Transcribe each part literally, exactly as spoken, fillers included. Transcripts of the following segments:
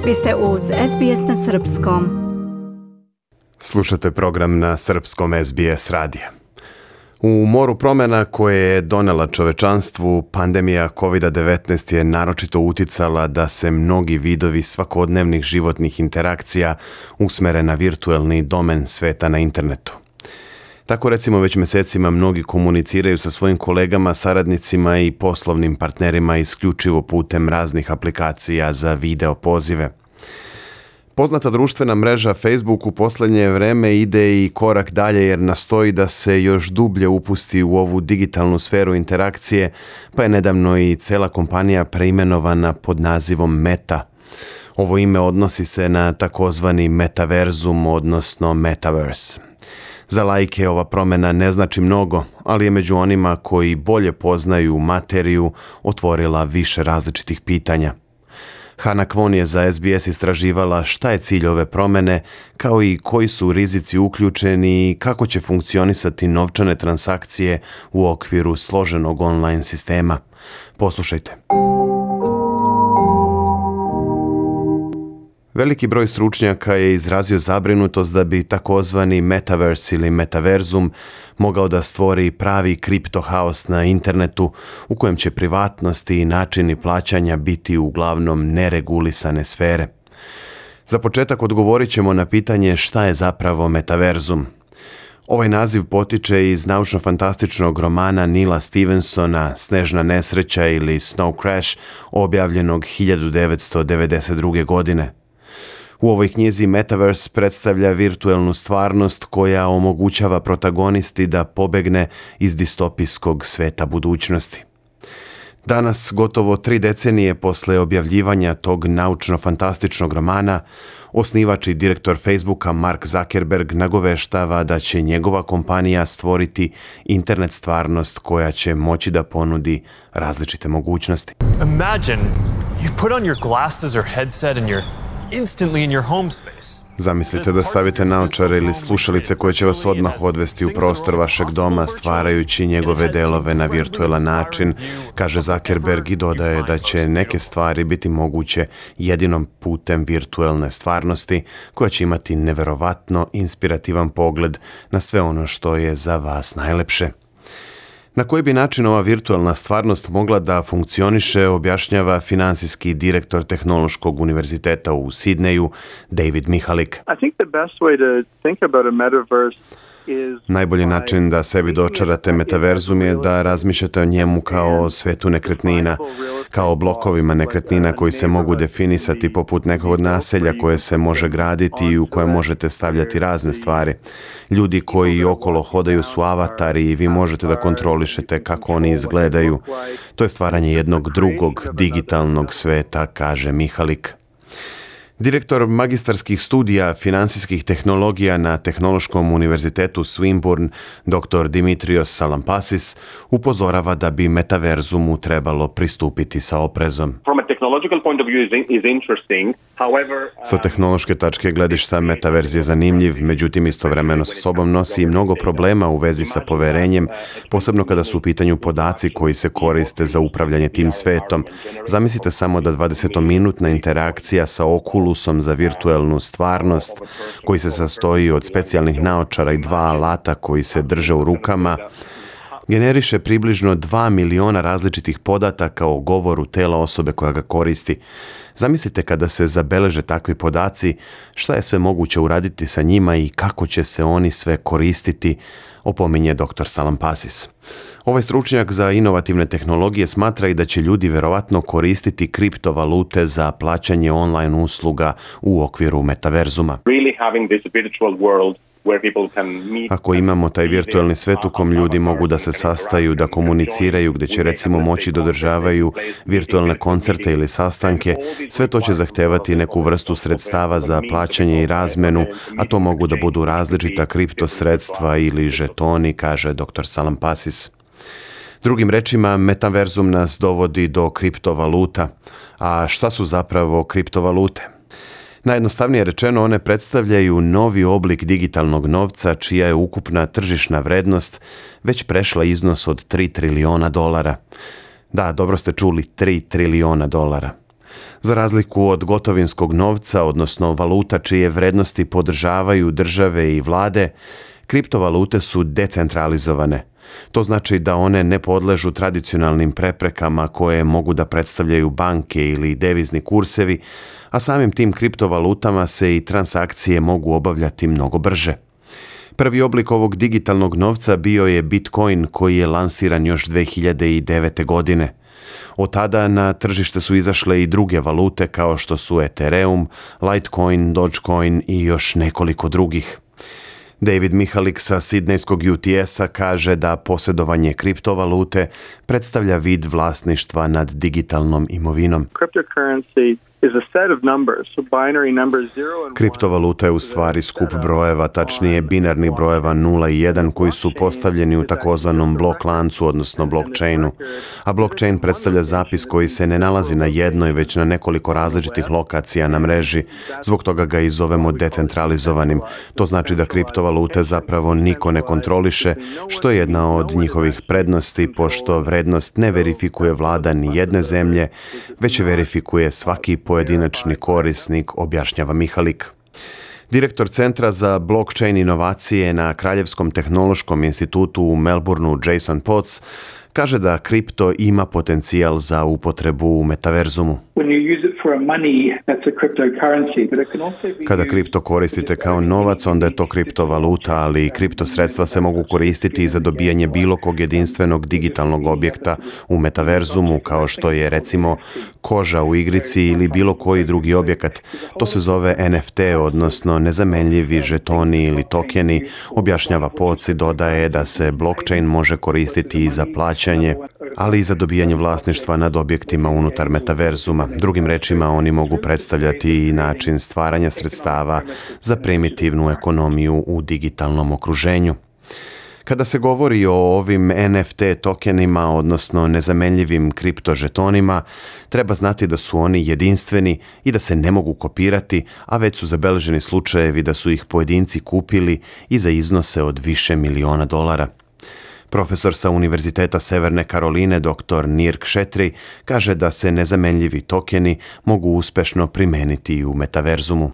Vi ste uz S B S na srpskom. Slušate program na srpskom S B S radija. U moru promjena koje je donela čovečanstvu, pandemija kovid devetnaest je naročito uticala da se mnogi vidovi svakodnevnih životnih interakcija usmere na virtuelni domen sveta na internetu. Tako recimo već mjesecima mnogi komuniciraju sa svojim kolegama, saradnicima i poslovnim partnerima isključivo putem raznih aplikacija za video pozive. Poznata društvena mreža Facebook u posljednje vreme ide i korak dalje jer nastoji da se još dublje upusti u ovu digitalnu sferu interakcije, pa je nedavno i cela kompanija preimenovana pod nazivom Meta. Ovo ime odnosi se na takozvani metaverzum, odnosno metaverse. Za laike ova promjena ne znači mnogo, ali je među onima koji bolje poznaju materiju otvorila više različitih pitanja. Hana Kwon je za S B S istraživala šta je cilj ove promjene, kao i koji su rizici uključeni i kako će funkcionisati novčane transakcije u okviru složenog online sistema. Poslušajte. Veliki broj stručnjaka je izrazio zabrinutost da bi takozvani metaverse ili metaverzum mogao da stvori pravi kriptohaos na internetu u kojem će privatnosti i načini plaćanja biti uglavnom neregulisane sfere. Za početak odgovorit ćemo na pitanje šta je zapravo metaverzum. Ovaj naziv potiče iz naučno-fantastičnog romana Neila Stephensona Snežna nesreća ili Snow Crash, objavljenog hiljadu devetsto devedeset druge. godine. U ovoj knjizi Metaverse predstavlja virtuelnu stvarnost koja omogućava protagonisti da pobegne iz distopijskog sveta budućnosti. Danas, gotovo tri decenije posle objavljivanja tog naučno-fantastičnog romana, osnivač i direktor Facebooka Mark Zuckerberg nagoveštava da će njegova kompanija stvoriti internet stvarnost koja će moći da ponudi različite mogućnosti. Imagine you put on your glasses or headset and you're instantly in your home space. Zamislite da stavite naočare ili slušalice koje će vas odmah odvesti u prostor vašeg doma stvarajući njegove delove na virtuelan način, kaže Zuckerberg i dodaje da će neke stvari biti moguće jedinom putem virtuelne stvarnosti koja će imati neverovatno inspirativan pogled na sve ono što je za vas najlepše. Na koji bi način ova virtualna stvarnost mogla da funkcioniše, objašnjava finansijski direktor Tehnološkog univerziteta u Sidneju, David Mihalik. I think the best way to think about a metaverse Najbolji način da sebi dočarate metaverzum je da razmišljate o njemu kao o svetu nekretnina, kao o blokovima nekretnina koji se mogu definisati poput nekog naselja koje se može graditi i u koje možete stavljati razne stvari. Ljudi koji okolo hodaju su avatari i vi možete da kontrolišete kako oni izgledaju. To je stvaranje jednog drugog digitalnog sveta, kaže Mihalik. Direktor magistarskih studija finansijskih tehnologija na Tehnološkom univerzitetu Swinburne, dr Dimitrios Salampasis, upozorava da bi metaverzumu trebalo pristupiti sa oprezom. Sa tehnološke tačke gledišta metaverz je zanimljiv, međutim istovremeno sa sobom nosi i mnogo problema u vezi sa poverenjem, posebno kada su u pitanju podaci koji se koriste za upravljanje tim svetom. Zamislite samo da dvadesetominutna interakcija sa Oculusom za virtuelnu stvarnost, koji se sastoji od specijalnih naočara i dva alata koji se drže u rukama, generiše približno dva miliona različitih podataka o govoru tela osobe koja ga koristi. Zamislite kada se zabeleže takvi podaci, šta je sve moguće uraditi sa njima i kako će se oni sve koristiti, opominje dr Salampasis. Ovaj stručnjak za inovativne tehnologije smatra i da će ljudi verovatno koristiti kriptovalute za plaćanje online usluga u okviru metaverzuma. Ako imamo taj virtualni svet u kom ljudi mogu da se sastaju, da komuniciraju, gdje će recimo moći da održavaju virtualne koncerte ili sastanke, sve to će zahtevati neku vrstu sredstava za plaćanje i razmenu, a to mogu da budu različita kripto sredstva ili žetoni, kaže dr Salampasis. Drugim rečima, metaverzum nas dovodi do kriptovaluta. A šta su zapravo kriptovalute? Najjednostavnije rečeno, one predstavljaju novi oblik digitalnog novca čija je ukupna tržišna vrednost već prešla iznos od tri trilijona dolara. Da, dobro ste čuli, tri trilijona dolara. Za razliku od gotovinskog novca, odnosno valuta čije vrednosti podržavaju države i vlade, kriptovalute su decentralizovane. To znači da one ne podležu tradicionalnim preprekama koje mogu da predstavljaju banke ili devizni kursevi, a samim tim kriptovalutama se i transakcije mogu obavljati mnogo brže. Prvi oblik ovog digitalnog novca bio je Bitcoin koji je lansiran još dve hiljade devete. godine. Od tada na tržište su izašle i druge valute kao što su Ethereum, Litecoin, Dogecoin i još nekoliko drugih. David Mihalik sa sidnejskog U T S-a kaže da posjedovanje kriptovalute predstavlja vid vlasništva nad digitalnom imovinom. Cryptocurrency is a set of numbers, so binary numbers zero and one. Kriptovaluta je u stvari skup brojeva, tačnije binarnih brojeva nula i jedan koji su postavljeni u takozvanom blok lancu, odnosno blockchainu. A blockchain predstavlja zapis koji se ne nalazi na jednoj, već na nekoliko različitih lokacija na mreži. Zbog toga ga i zovemo decentralizovanim. To znači da kriptovalute zapravo niko ne kontroliše, što je jedna od njihovih prednosti, pošto vrednost ne verifikuje vlada ni jedne zemlje, već je verifikuje svaki pojedinačni korisnik, objašnjava Mihalik. Direktor Centra za blockchain inovacije na Kraljevskom tehnološkom institutu u Melbourneu Jason Potts kaže da kripto ima potencijal za upotrebu u metaverzumu. Kada kripto koristite kao novac, onda je to kriptovaluta, ali i kripto sredstva se mogu koristiti i za dobijanje bilo kog jedinstvenog digitalnog objekta u metaverzumu, kao što je recimo koža u igrici ili bilo koji drugi objekat. To se zove N F T, odnosno nezamenljivi žetoni ili tokeni, objašnjava Potts i dodaje da se blockchain može koristiti i za plaćanje, ali i za dobijanje vlasništva nad objektima unutar metaverzuma. Drugim rečima, oni mogu predstavljati i način stvaranja sredstava za primitivnu ekonomiju u digitalnom okruženju. Kada se govori o ovim N F T tokenima, odnosno nezamenljivim kriptožetonima, treba znati da su oni jedinstveni i da se ne mogu kopirati, a već su zabeleženi slučajevi da su ih pojedinci kupili i za iznose od više miliona dolara. Profesor sa Univerziteta Severne Karoline, dr Nir Kshetri, kaže da se nezamenljivi tokeni mogu uspešno primeniti i u metaverzumu.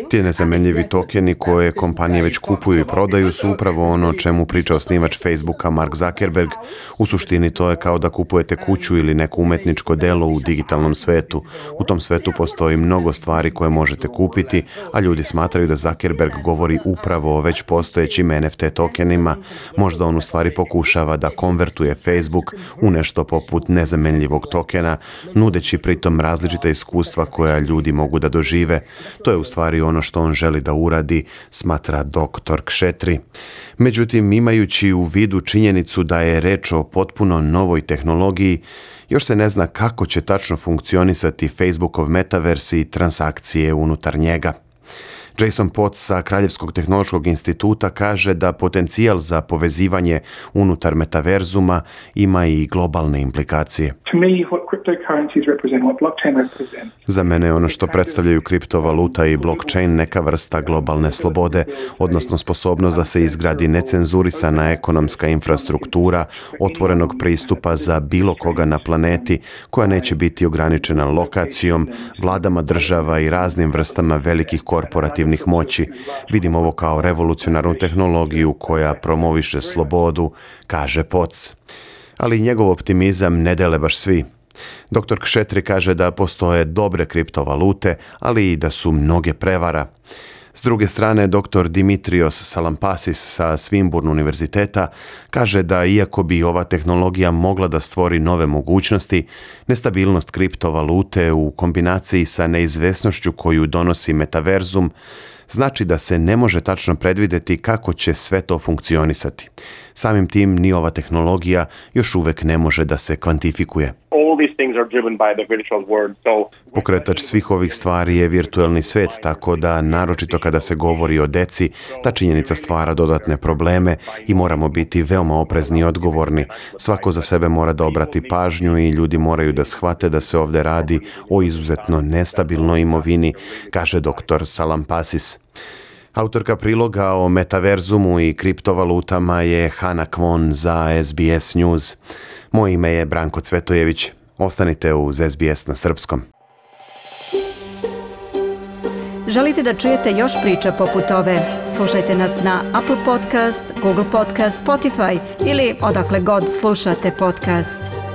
Ti nezamenljivi tokeni koje kompanije već kupuju i prodaju su upravo ono o čemu priča osnivač Facebooka Mark Zuckerberg. U suštini to je kao da kupujete kuću ili neko umetničko delo u digitalnom svetu. U tom svetu postoji mnogo stvari koje možete kupiti, a ljudi smatraju da Zuckerberg govori upravo o već postojećim N F T tokenima. Možda on u stvari pokušava da konvertuje Facebook u nešto poput nezamenljivog tokena, nudeći pritom različita iskustva koja ljudi mogu da dožive. To je u stvari ono što on želi da uradi, smatra dr Kshetri. Međutim, imajući u vidu činjenicu da je reč o potpuno novoj tehnologiji, još se ne zna kako će tačno funkcionisati Facebookov metaverse i transakcije unutar njega. Jason Potts sa Kraljevskog tehnološkog instituta kaže da potencijal za povezivanje unutar metaverzuma ima i globalne implikacije. Za mene je ono što predstavljaju kriptovaluta i blockchain neka vrsta globalne slobode, odnosno sposobnost da se izgradi necenzurisana ekonomska infrastruktura, otvorenog pristupa za bilo koga na planeti, koja neće biti ograničena lokacijom, vladama država i raznim vrstama velikih korporativnih moći. Vidim ovo kao revolucionarnu tehnologiju koja promoviše slobodu, kaže Potts. Ali njegov optimizam ne dele baš svi. dr Kshetri kaže da postoje dobre kriptovalute, ali i da su mnoge prevara. S druge strane, dr Dimitrios Salampasis sa Swinburne univerziteta kaže da iako bi ova tehnologija mogla da stvori nove mogućnosti, nestabilnost kriptovalute u kombinaciji sa neizvesnošću koju donosi metaverzum znači da se ne može tačno predvideti kako će sve to funkcionisati. Samim tim ni ova tehnologija još uvek ne može da se kvantifikuje. Pokretač svih ovih stvari je virtuelni svet, tako da, naročito kada se govori o deci, ta činjenica stvara dodatne probleme i moramo biti veoma oprezni i odgovorni. Svako za sebe mora da obrati pažnju i ljudi moraju da shvate da se ovde radi o izuzetno nestabilnoj imovini, kaže dr Salampasis. Autorka priloga o metaverzumu i kriptovalutama je Hana Kwon za S B S News. Moje ime je Branko Cvetojević. Ostanite uz S B S na srpskom. Želite da čujete još priča poput ove? Slušajte nas na Apple Podcast, Google Podcast, Spotify ili odakle god slušate podcast.